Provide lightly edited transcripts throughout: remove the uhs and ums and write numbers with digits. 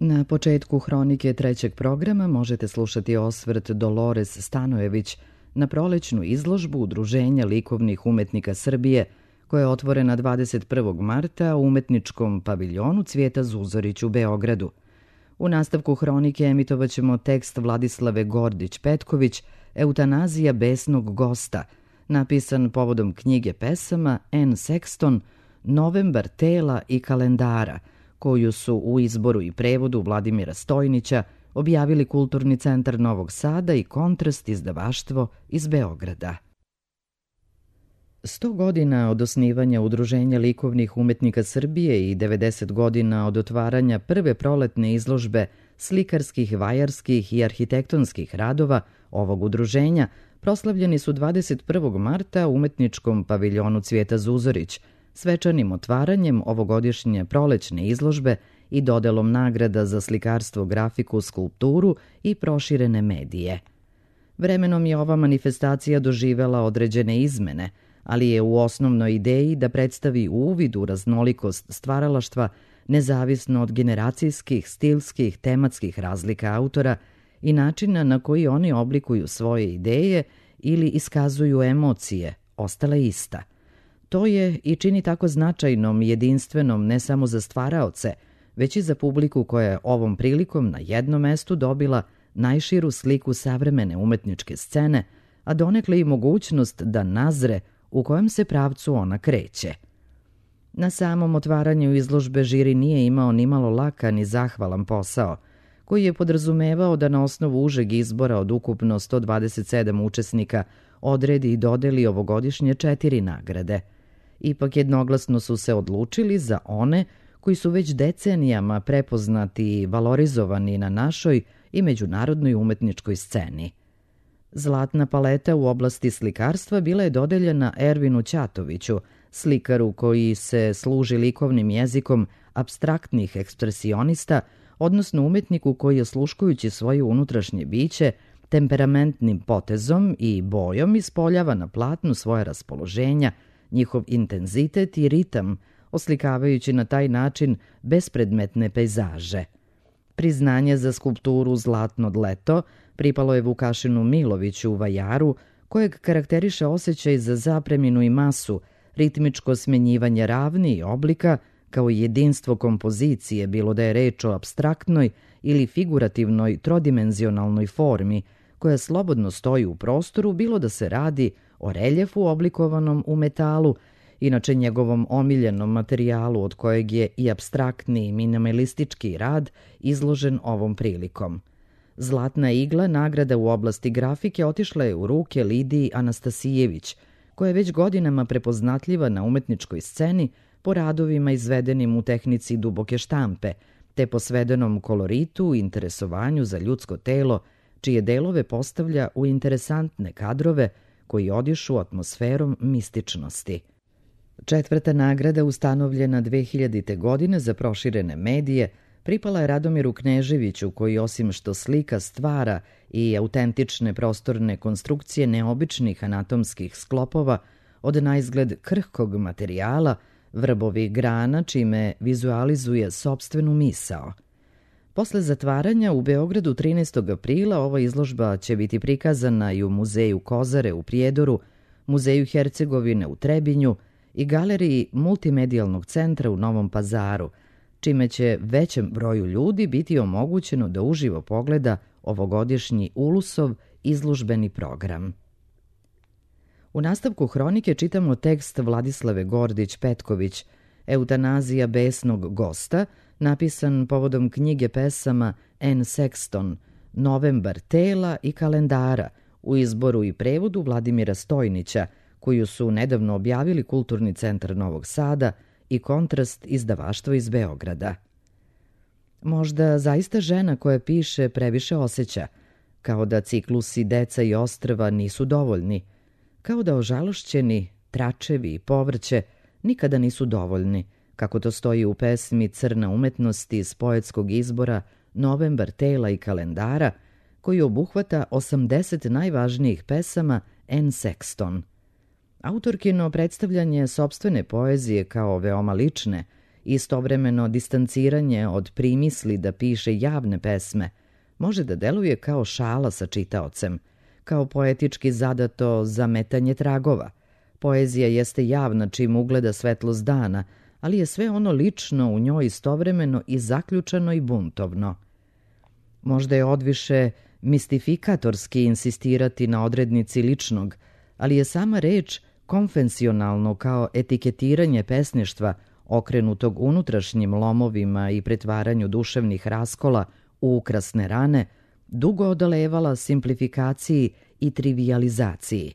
Na početku hronike trećeg programa možete slušati osvrt Dolores Stanojević na prolećnu izložbu Udruženja likovnih umetnika Srbije, koja je otvorena 21. marta u umetničkom paviljonu Cvijeta Zuzorić u Beogradu. U nastavku hronike emitovaćemo tekst Vladislave Gordić-Petković Eutanazija besnog gosta, napisan povodom knjige pesama Anne Sexton Novembar tela i kalendara, koju su u izboru i prevodu Vladimira Stojnića objavili Kulturni centar Novog Sada i Kontrast izdavaštvo iz Beograda. 100 godina od osnivanja Udruženja likovnih umetnika Srbije i 90 godina od otvaranja prve proletne izložbe slikarskih, vajarskih i arhitektonskih radova ovog udruženja proslavljeni su 21. marta u umetničkom paviljonu Cvijeta Zuzorić, svečanim otvaranjem ovogodišnje prolećne izložbe i dodelom nagrada za slikarstvo, grafiku, skulpturu i proširene medije. Vremenom je ova manifestacija doživela određene izmene, ali je u osnovnoj ideji da predstavi uvid u raznolikost stvaralaštva nezavisno od generacijskih, stilskih, tematskih razlika autora i načina na koji oni oblikuju svoje ideje ili iskazuju emocije, ostala ista. To je i čini tako značajnom i jedinstvenom ne samo za stvaraoce, već i za publiku koja je ovom prilikom na jednom mestu dobila najširu sliku savremene umetničke scene, a donekle i mogućnost da nazre u kojem se pravcu ona kreće. Na samom otvaranju izložbe žiri nije imao nimalo lakan i zahvalan posao, koji je podrazumevao da na osnovu užeg izbora od ukupno 127 učesnika odredi i dodeli ovogodišnje 4 nagrade. Ipak jednoglasno su se odlučili za one koji su već decenijama prepoznati i valorizovani na našoj i međunarodnoj umetničkoj sceni. Zlatna paleta u oblasti slikarstva bila je dodeljena Ervinu Ćatoviću, slikaru koji se služi likovnim jezikom apstraktnih ekspresionista, odnosno umetniku koji, osluškujući svoje unutrašnje biće, temperamentnim potezom i bojom ispoljava na platnu svoje raspoloženja, njihov intenzitet i ritam, oslikavajući na taj način bespredmetne pejzaže. Priznanje za skulpturu Zlatno dleto pripalo je Vukašinu Miloviću u Vajaru, kojeg karakteriše osjećaj za zapreminu i masu, ritmičko smenjivanje ravni i oblika, kao i jedinstvo kompozicije, bilo da je reč o apstraktnoj ili figurativnoj trodimenzionalnoj formi, koja slobodno stoji u prostoru, bilo da se radi o reljefu oblikovanom u metalu, inače njegovom omiljenom materijalu od kojeg je i apstraktni i minimalistički rad izložen ovom prilikom. Zlatna igla, nagrada u oblasti grafike, otišla je u ruke Lidiji Anastasijević, koja je već godinama prepoznatljiva na umetničkoj sceni po radovima izvedenim u tehnici duboke štampe, te po svedenom koloritu i interesovanju za ljudsko telo, čije delove postavlja u interesantne kadrove koji odišu atmosferom mističnosti. 4. nagrada, ustanovljena 2000. godine za proširene medije, pripala je Radomiru Kneževiću, koji osim što slika stvara i autentične prostorne konstrukcije neobičnih anatomskih sklopova od naizgled krhkog materijala, vrbovih grana, čime vizualizuje sopstvenu misao. Posle zatvaranja u Beogradu 13. aprila ova izložba će biti prikazana i u Muzeju Kozare u Prijedoru, Muzeju Hercegovine u Trebinju i Galeriji Multimedijalnog centra u Novom Pazaru, čime će većem broju ljudi biti omogućeno da uživo pogleda ovogodišnji Ulusov izložbeni program. U nastavku hronike čitamo tekst Vladislave Gordić-Petković Eutanazija besnog gosta, napisan povodom knjige pesama Anne Sexton Novembar tela i kalendara u izboru i prevodu Vladimira Stojnića, koju su nedavno objavili Kulturni centar Novog Sada i Kontrast izdavaštvo iz Beograda. Možda zaista žena koja piše previše osjeća, kao da ciklusi Deca i ostrva nisu dovoljni, kao da ožalošćeni tračevi i povrće nikada nisu dovoljni, kako to stoji u pesmi Crna umetnost iz poetskog izbora Novembar tela i kalendara, koji obuhvata 80 najvažnijih pesama Anne Sexton. Autorkino predstavljanje sopstvene poezije kao veoma lične Istovremeno distanciranje od primisli da piše javne pesme može da deluje kao šala sa čitaocem, kao poetički zadato zametanje tragova. Poezija jeste javna čim ugleda svetlost dana, ali je sve ono lično u njoj istovremeno i zaključano i buntovno. Možda je odviše mistifikatorski insistirati na odrednici ličnog, ali je sama reč konvencionalno kao etiketiranje pesništva okrenutog unutrašnjim lomovima i pretvaranju duševnih raskola u ukrasne rane, dugo odolevala simplifikaciji i trivijalizaciji.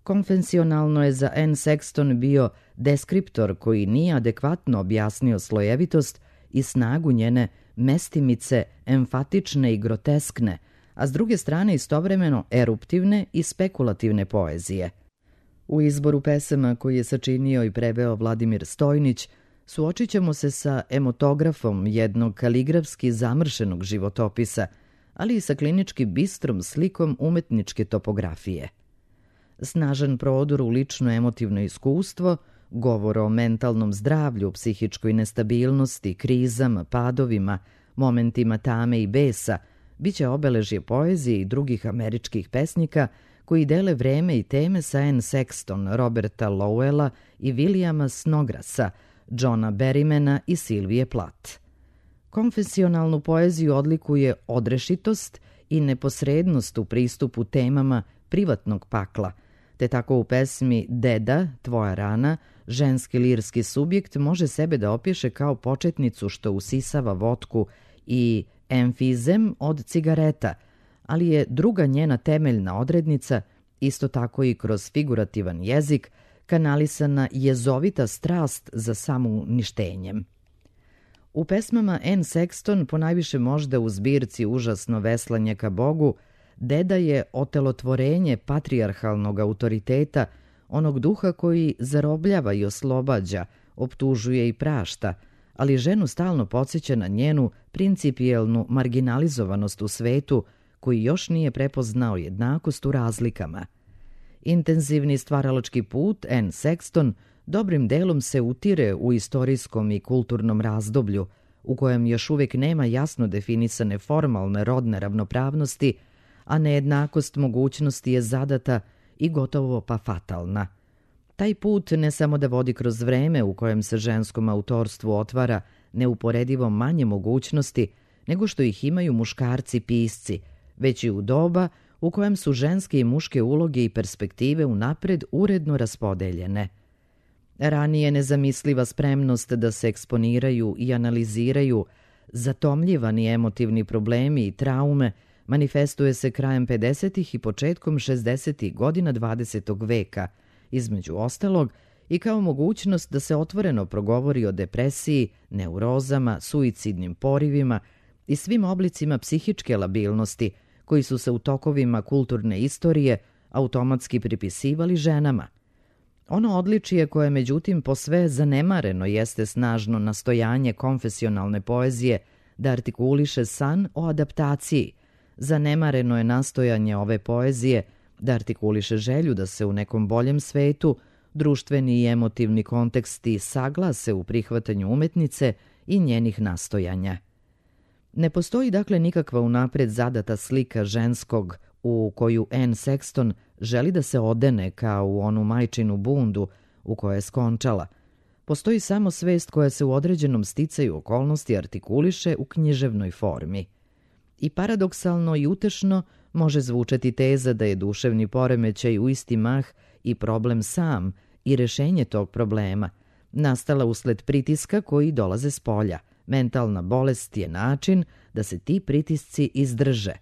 Konvencionalno je za Anne Sexton bio deskriptor koji nije adekvatno objasnio slojevitost i snagu njene mestimice, emfatične i groteskne, a s druge strane istovremeno eruptivne i spekulativne poezije. U izboru pesama koji je sačinio i preveo Vladimir Stojnić, suočit ćemo se sa emotografom jednog kaligrafski zamršenog životopisa, ali i sa klinički bistrom slikom umetničke topografije. Snažan prodor u lično emotivno iskustvo, govor o mentalnom zdravlju, psihičkoj nestabilnosti, krizama, padovima, momentima tame i besa, biće obeležje poezije i drugih američkih pesnika koji dele vreme i teme sa Anne Sexton, Roberta Lowella i Williama Snodgrassa, Johna Berrymana i Sylvie Plath. Konvencionalnu poeziju odlikuje odrešitost i neposrednost u pristupu temama privatnog pakla, te tako u pesmi Deda, tvoja rana, ženski lirski subjekt može sebe da opiše kao početnicu što usisava votku i emfizem od cigareta, ali je druga njena temeljna odrednica, isto tako i kroz figurativan jezik, kanalisana jezovita strast za samouništenjem. U pesmama Anne Sexton, ponajviše možda u zbirci Užasno veslanje ka Bogu, Deda je otelotvorenje patrijarhalnog autoriteta, onog duha koji zarobljava i oslobađa, optužuje i prašta, ali ženu stalno podsjeća na njenu principijelnu marginalizovanost u svetu koji još nije prepoznao jednakost u razlikama. Intenzivni stvaralački put Anne Sexton dobrim delom se utire u istorijskom i kulturnom razdoblju, u kojem još uvijek nema jasno definisane formalne rodne ravnopravnosti, a nejednakost mogućnosti je zadata i gotovo pa fatalna. Taj put ne samo da vodi kroz vreme u kojem se ženskom autorstvu otvara neuporedivo manje mogućnosti nego što ih imaju muškarci pisci, već i u doba u kojem su ženske i muške uloge i perspektive unapred uredno raspodeljene. Ranije nezamisliva spremnost da se eksponiraju i analiziraju zatomljivani emotivni problemi i traume manifestuje se krajem 50. i početkom 60. godina 20. veka, između ostalog i kao mogućnost da se otvoreno progovori o depresiji, neurozama, suicidnim porivima i svim oblicima psihičke labilnosti koji su se u tokovima kulturne istorije automatski pripisivali ženama. Ono odličije koje međutim posve zanemareno jeste snažno nastojanje konfesionalne poezije da artikuliše san o adaptaciji. Zanemareno je nastojanje ove poezije da artikuliše želju da se u nekom boljem svetu društveni i emotivni konteksti saglase u prihvatanju umetnice i njenih nastojanja. Ne postoji dakle nikakva unapred zadata slika ženskog u koju Anne Sexton želi da se odene kao u onu majčinu bundu u kojoj je skončala. Postoji samo svest koja se u određenom sticaju okolnosti artikuliše u književnoj formi. I paradoksalno i utešno može zvučati teza da je duševni poremećaj u isti mah i problem sam i rešenje tog problema, nastala usled pritiska koji dolaze s polja. Mentalna bolest je način da se ti pritisci izdrže.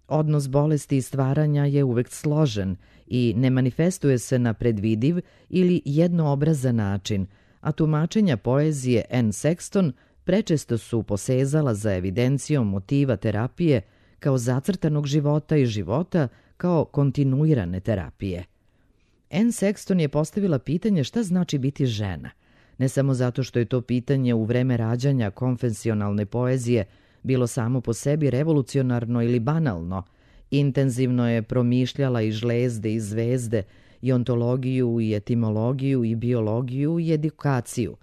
Odnos bolesti i stvaranja je uvek složen i ne manifestuje se na predvidiv ili jednoobrazan način, a tumačenja poezije Anne Sexton prečesto su posezala za evidencijom motiva terapije kao zacrtanog života i života kao kontinuirane terapije. Anne Sexton je postavila pitanje šta znači biti žena, ne samo zato što je to pitanje u vreme rađanja konvencionalne poezije bilo samo po sebi revolucionarno ili banalno, intenzivno je promišljala i žlezde i zvezde, i ontologiju i etimologiju i biologiju i edukaciju.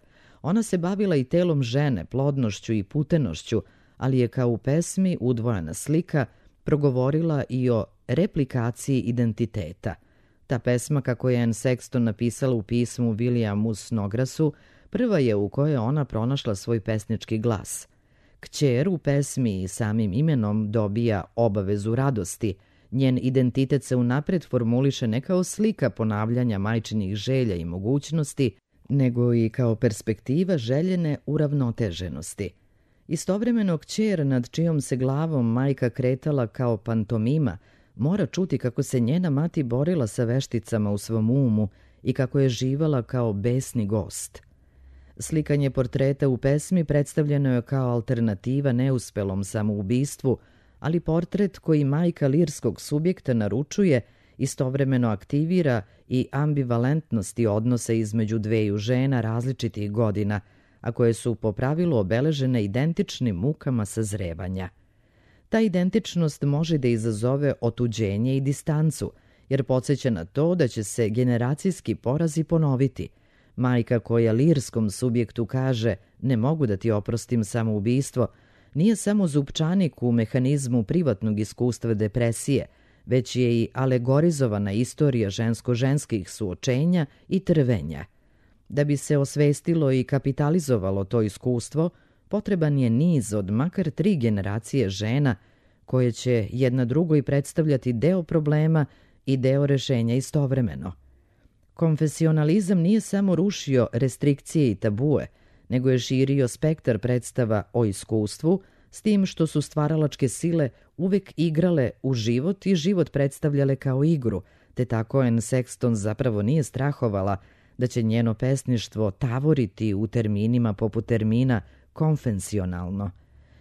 Ona se bavila i telom žene, plodnošću i putenošću, ali je kao u pesmi Udvojena slika progovorila i o replikaciji identiteta. Ta pesma, kako je Anne Sexton napisala u pismu Williamu Snodgrassu, prva je u kojoj ona pronašla svoj pesnički glas. Kćer u pesmi i samim imenom dobija obavezu radosti. Njen identitet se unapred formuliše ne kao slika ponavljanja majčinih želja i mogućnosti, nego i kao perspektiva željene uravnoteženosti. Istovremeno kćer nad čijom se glavom majka kretala kao pantomima mora čuti kako se njena mati borila sa vešticama u svom umu i kako je živala kao besni gost. Slikanje portreta u pesmi predstavljeno je kao alternativa neuspelom samoubistvu, ali portret koji majka lirskog subjekta naručuje istovremeno aktivira i ambivalentnosti odnosa između dveju žena različitih godina, a koje su po pravilu obeležene identičnim mukama sazrevanja. Ta identičnost može da izazove otuđenje i distancu, jer podsjeća na to da će se generacijski porazi ponoviti. Majka koja lirskom subjektu kaže ne mogu da ti oprostim samoubistvo, nije samo zupčanik u mehanizmu privatnog iskustva depresije, već je i alegorizovana istorija žensko-ženskih suočenja i trvenja. Da bi se osvestilo i kapitalizovalo to iskustvo, potreban je niz od makar 3 generacije žena koje će jedna drugoj predstavljati deo problema i deo rešenja istovremeno. Konfesionalizam nije samo rušio restrikcije i tabue, nego je širio spektar predstava o iskustvu, s tim što su stvaralačke sile uvek igrale u život i život predstavljale kao igru, te tako Anne Sexton zapravo nije strahovala da će njeno pesništvo tavoriti u terminima poput termina konfesionalno.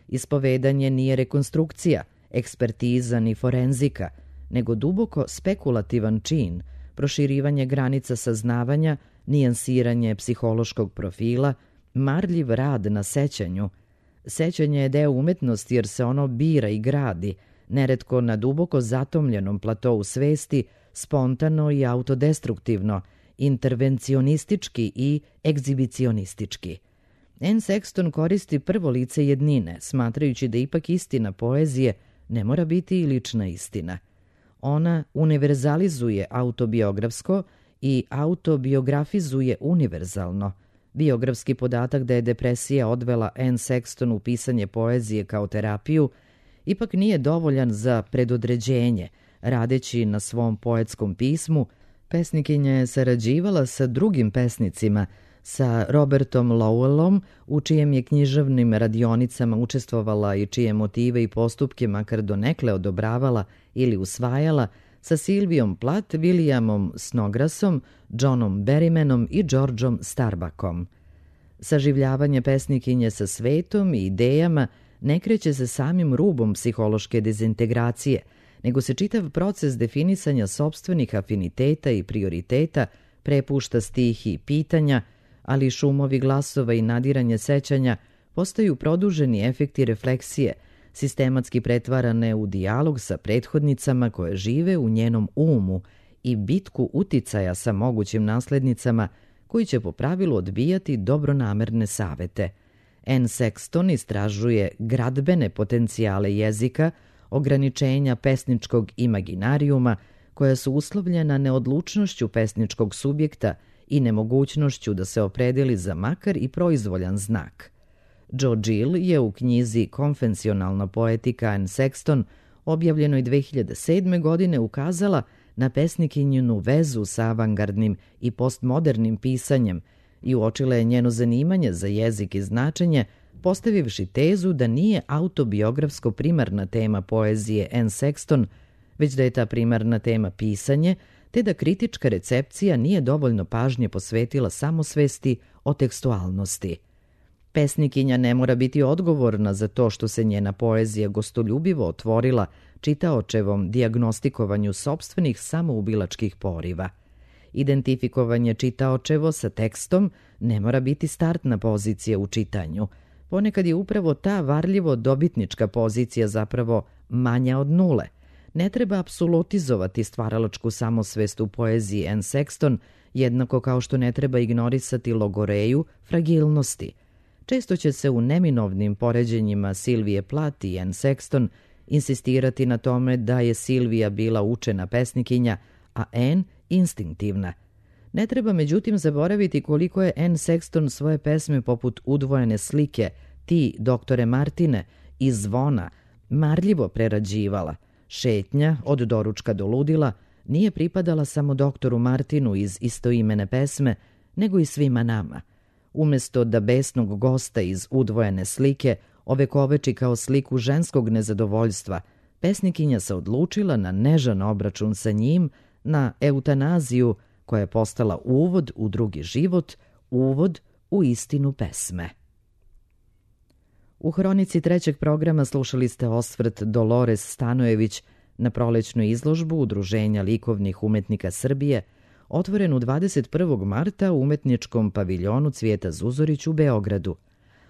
Ispovedanje nije rekonstrukcija, ekspertiza ni forenzika, nego duboko spekulativan čin, proširivanje granica saznavanja, nijansiranje psihološkog profila, marljiv rad na sećanju. Sećanje je deo umetnosti jer se ono bira i gradi, neretko na duboko zatomljenom platou svesti, spontano i autodestruktivno, intervencionistički i egzibicionistički. Anne Sexton koristi prvo lice jednine, smatrajući da ipak istina poezije ne mora biti i lična istina. Ona univerzalizuje autobiografsko i autobiografizuje univerzalno. Biografski podatak da je depresija odvela Anne Sexton u pisanje poezije kao terapiju ipak nije dovoljan za predodređenje. Radeći na svom poetskom pismu, pesnikinja je sarađivala sa drugim pesnicima, sa Robertom Lowellom, u čijem je književnim radionicama učestvovala i čije motive i postupke makar donekle odobravala ili usvajala, sa Silvijom Plath, Williamom Snodgrassom, Johnom Berrymanom i Georgeom Starbuckom. Saživljavanje pesnikinje sa svetom i idejama ne kreće se samim rubom psihološke dezintegracije, nego se čitav proces definisanja sopstvenih afiniteta i prioriteta prepušta stihiji pitanja, ali šumovi glasova i nadiranje sećanja postaju produženi efekti refleksije, sistematski pretvarane u dijalog sa prethodnicama koje žive u njenom umu i bitku uticaja sa mogućim naslednicama koji će po pravilu odbijati dobronamerne savete. Anne Sexton istražuje gradbene potencijale jezika, ograničenja pesničkog imaginarijuma koja su uslovljena neodlučnošću pesničkog subjekta i nemogućnošću da se opredeli za makar i proizvoljan znak. Joe Gill je u knjizi Konfesionalna poetika Anne Sexton, objavljenoj 2007. godine, ukazala na pesnikinjinu vezu sa avangardnim i postmodernim pisanjem i uočila je njeno zanimanje za jezik i značenje, postavivši tezu da nije autobiografsko primarna tema poezije Anne Sexton, već da je ta primarna tema pisanje, te da kritička recepcija nije dovoljno pažnje posvetila samosvesti o tekstualnosti. Pesnikinja ne mora biti odgovorna za to što se njena poezija gostoljubivo otvorila čitaočevom dijagnostikovanju sopstvenih samoubilačkih poriva. Identifikovanje čitaočevo sa tekstom ne mora biti startna pozicija u čitanju. Ponekad je upravo ta varljivo dobitnička pozicija zapravo manja od nule. Ne treba apsolutizovati stvaralačku samosvest u poeziji Anne Sexton, jednako kao što ne treba ignorisati logoreju fragilnosti. Često će se u neminovnim poređenjima Silvije Plath i Anne Sexton insistirati na tome da je Silvija bila učena pesnikinja, a Anne instinktivna. Ne treba međutim zaboraviti koliko je Anne Sexton svoje pesme poput Udvojene slike, Ti, doktore Martine i Zvona marljivo prerađivala. Šetnja, od doručka do ludila, nije pripadala samo doktoru Martinu iz istoimene pesme, nego i svima nama. Umesto da besnog gosta iz Udvojene slike ovekoveči kao sliku ženskog nezadovoljstva, pesnikinja se odlučila na nežan obračun sa njim, na eutanaziju koja je postala uvod u drugi život, uvod u istinu pesme. U hronici trećeg programa slušali ste osvrt Dolores Stanojević na prolećnu izložbu Udruženja likovnih umetnika Srbije, otvorenu 21. marta u umetničkom paviljonu Cvijeta Zuzorić u Beogradu,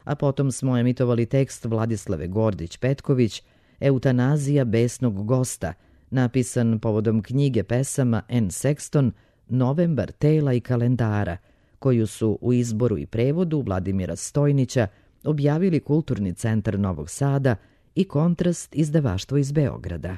a potom smo emitovali tekst Vladislave Gordić-Petković Eutanazija besnog gosta, napisan povodom knjige pesama Anne Sexton Novembar tela i kalendara, koju su u izboru i prevodu Vladimira Stojnića objavili Kulturni centar Novog Sada i Kontrast izdavaštvo iz Beograda.